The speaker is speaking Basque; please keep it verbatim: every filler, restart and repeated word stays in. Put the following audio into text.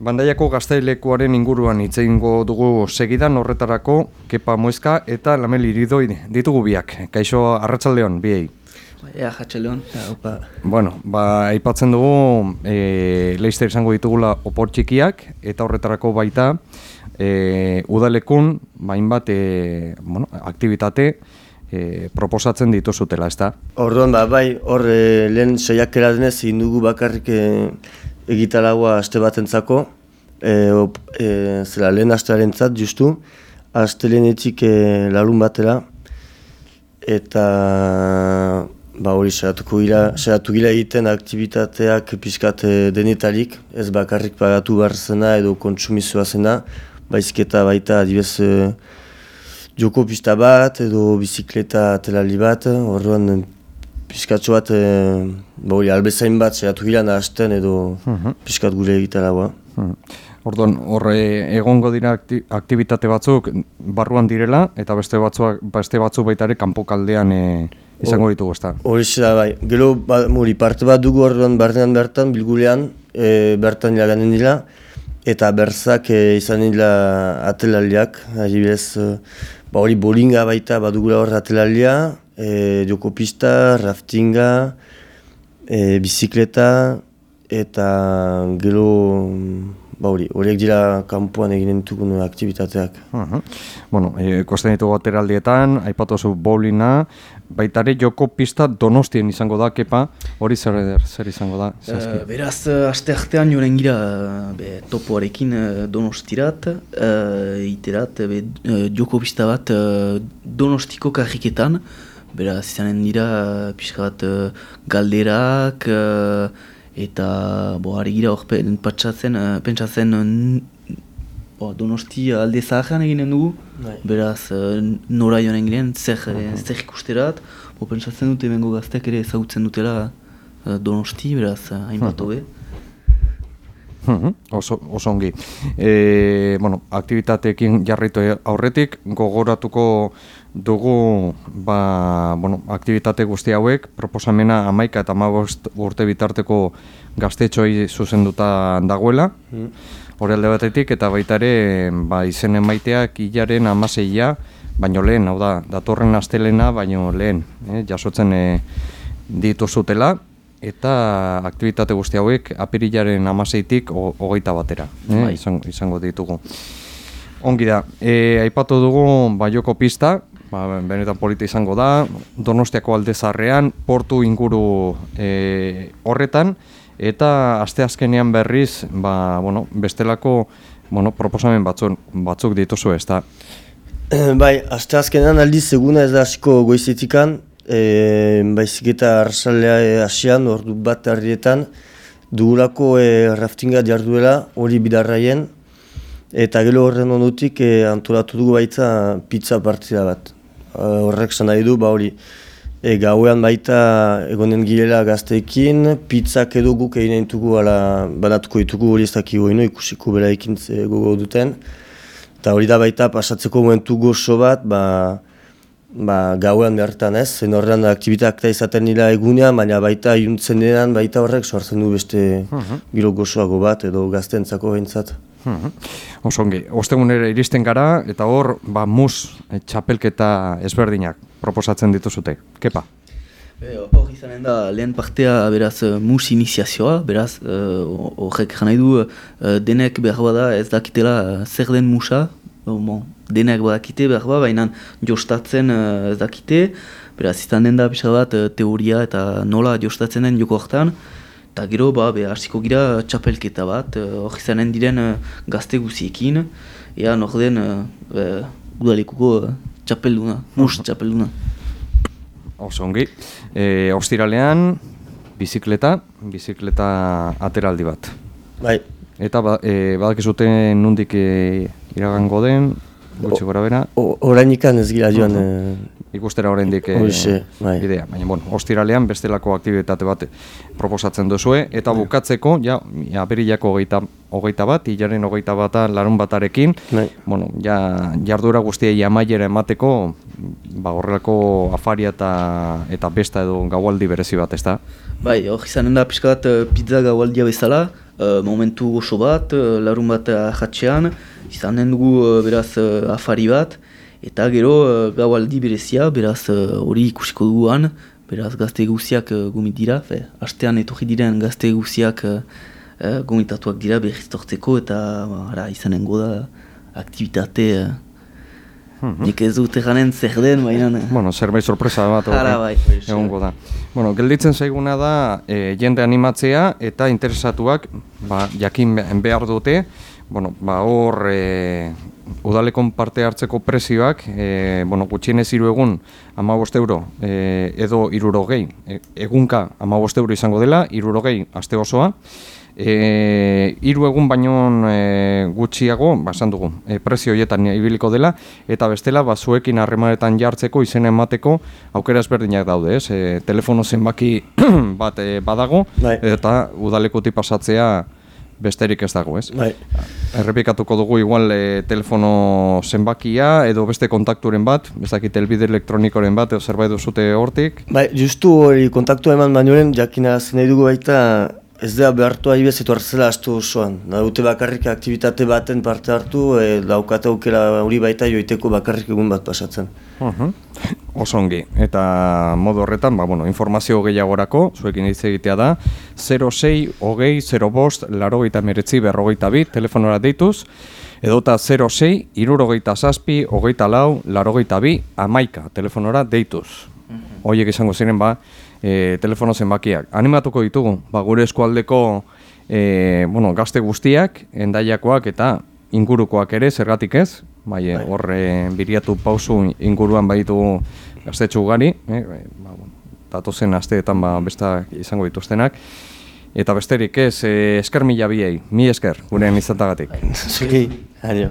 Bandaiako gaztelekuaren inguruan hitz egingo dugu segidan, horretarako Kepa Muezka eta Lamel Iridoi ditugu biak. Kaixo, arratsaldeon biei. Ea, arratsaldeon. Bueno, ba, aipatzen dugu e, Leicester izango ditugula opor txikiak eta horretarako baita e, udalekun hainbat e, bueno, aktibitate e, proposatzen dituzutela, ezta? Orduan, ba, bai, hor e, lehen saiakera denez egin dugu bakarrik e, egitaragua aste batentzako, e, op, e, zera lehen astearentzat justu, astelenetik e, larun batera, eta ba hori saiatuko gira, saiatu gira egiten aktibitateak pixkat e, denetarik, ez bakarrik pagatu behar zena edo kontsumizioa zena, baizik eta baita adibez e, joko pista bat edo bizikleta atelali bat, orduan pixkatxo bat, e, ba hori, albezain bat saiatu gira nahazten edo uh-huh. Pixkat gure egitaragoa. Uh-huh. Orduan, horre egongo dira aktivitate batzuk barruan direla, eta beste batzuk, beste batzuk baita ere kanpokaldean e, izango ditugu, ezta? Hori da, bai. Gero, ba, hori, parte bat dugu orduan barnean bertan, bilgulean, e, bertan iraganen dira, eta berzak e, izan dira atelaliak, adibidez, e, ba hori, bolinga baita badugula hor atelalia, E, joko pista, raftinga, e, bizikleta eta gero ba hori, horiek dira kanpoan eginen ditugun aktibitateak. Uh-huh. Bueno, e, kosten ditugu ateraldietan, aipatu zu bowlinga, baitare joko pista Donostien izango da, Kepa, hori zer, zer izango da? Uh, beraz, aste artean joren gira be, topoarekin uh, Donostirat, uh, iterat, be, uh, joko pista bat uh, Donostiko karriketan, beraz, izanen dira pixka bat uh, galderak uh, eta bo, ari gira hor pentsatzen, uh, pentsatzen uh, bo, Donosti alde zaharrean eginen dugu, Nei. Beraz uh, nora joan giren, zer, uh-huh. zer ikusterat, bo, pentsatzen dute bengo gazteak ere ezagutzen dutela uh, Donosti, beraz uh, hainbat hobe. Uh-huh. Oso, oso ongi. E, bueno, aktivitateekin jarraitu aurretik, gogoratuko dugu ba, bueno, aktivitate guzti hauek, proposamena hamaika eta hamabost urte bitarteko gaztetxoei zuzenduta dagoela, mm. hori alde batetik, eta baita ere ba, izen emaiteak hilaren hamaseia, baino lehen, hau da, datorren astelena, baino lehen, eh, jasotzen eh, dituzutela, eta aktivitate guzti hauek apirilaren hamaseitik hogeita batera, eh, izango, izango ditugu. Ongi da, e, aipatu dugu Baioko pista, ba, benetan polita izango da, Donostiako aldezarrean, portu inguru e, horretan, eta asteazkenean berriz, ba, bueno, bestelako bueno, proposamen batzuk, batzuk dituzu, ez da? Bai, asteazkenean aldiz eguna ez da hasiko goizetikan, e, baizik eta arrasalea hasian, ordu bat herrietan, dugulako e, raftinga jarduela, hori bidarraien, eta gero horren ondutik e, antolatu dugu baita pizza partida bat. E, horrek zan nahi du, ba hori, e, gauean baita egonen girela gazteekin, pizzak edo guk egin ditugu, ala banatuko ditugu hori ez dakigu ino, ikusiko bera ekin gogo duten. Eta hori da baita pasatzeko momentu gozo bat, ba, ba, gauean bertan ez, zen horrean aktibitak da izaten nila egunean, baina baita iuntzen denan, baita horrek sortzen du beste uh-huh. giro gozoago bat edo gazteentzako behintzat. Hmm. Osongi, ostegunera iristen gara eta hor ba, mus e, txapelketa ezberdinak proposatzen dituzute. Kepa? Hor izanen da lehen partea beraz mus iniziazioa, beraz horrek uh, nahi du uh, denek behar bada ez dakitela zer den musa, uh, bon, denek badakite behar bada, baina jostatzen uh, ez dakite, beraz izan den da pixka bat uh, teoria eta nola jostatzen den joko hartan. Eta gero, ba, hasiko gira txapelketa bat, hor uh, izanen diren uh, gazte guziekin, ea nor den uh, udalekuko uh, txapelduna, mus txapelduna. Oso ongi. E, ostiralean, bizikleta, bizikleta ateraldi bat. Bai. Eta ba, e, badakizute nondik e, iragango den, gutxi gora bera? Orainikan ez gira joan, uh-huh. e, ikustera oraindik e, Hoxe, bai. bidea. Baina, bueno, ostiralean bestelako aktibitate bat proposatzen duzue, eta bukatzeko, ja, apirilako hogeita, hogeita bat, hilaren hogeita bata larun batarekin, bai. bueno, ja, jardura guztiei amaiera emateko, ba, horrelako afaria eta, eta besta edo gaualdi berezi bat, ezta? Bai, hor izanen da pixka bat uh, pizza gaualdia bezala, uh, momentu gozo bat, uh, larun bat ahatxean, izanen dugu uh, beraz uh, afari bat, eta gero uh, gaualdi berezia, beraz hori uh, ikusiko duguan, beraz gazte guziak uh, gomit dira, fe, hastean etorri diren gazte guziak uh, uh, gomitatuak dira berriz tortzeko, eta uh, ara, izanengo da aktivitate, uh, mm-hmm. nik ez dut eganen zer den, baina... Bueno, zerbait sorpresa bat Ara, bai, egongo da. Bueno, gelditzen zaiguna da e, jende animatzea eta interesatuak ba, jakin behar dute, bueno, ba, hor e, udalekon parte hartzeko prezioak, e, bueno, gutxienez hiru egun hamabost euro e, edo hirurogei, e, egunka hamabost euro izango dela, hirurogei aste osoa, E, hiru egun baino e, gutxiago, basan dugu, e, prezio horietan ibiliko dela, eta bestela, ba, zuekin harremanetan jartzeko, izena emateko, aukera ezberdinak daude, ez? E, telefono zenbaki bat e, badago, bai. Eta udalekutik pasatzea besterik ez dago, ez? Bai. Errepikatuko dugu igual e, telefono zenbakia, edo beste kontakturen bat, bezakit elbide elektronikoren bat, edo zerbait duzute hortik. Bai, justu hori kontaktu eman bainoren, jakina nahi dugu baita, ez da behartu ahibez etu hartzela astu osoan. Daute bakarrik aktivitate baten parte hartu, e, daukate aukera hori baita joiteko bakarrik egun bat pasatzen. Uh-huh. Oso ongi. Eta modu horretan, ba, bueno, informazio gehiagorako, zuekin hitz egitea da, zero sei, hogei, zero bost, larogeita meretzi, berrogeita bi, telefonora deituz, edota zero sei, irurogeita zazpi, hogeita lau, larogeita bi, amaika, telefonora deituz. Horiek izango ziren, ba, e, telefono zenbakiak. Animatuko ditugu, ba, gure eskualdeko e, bueno, gazte guztiak, endaiakoak eta ingurukoak ere, zergatik ez, bai, hor e, biriatu pausu inguruan baditugu gaztetxo ugari, e, ba, datozen asteetan ba, besta izango dituztenak, eta besterik ez, e, esker mila biei, mi esker, gurean izatagatik. Zuki, adio.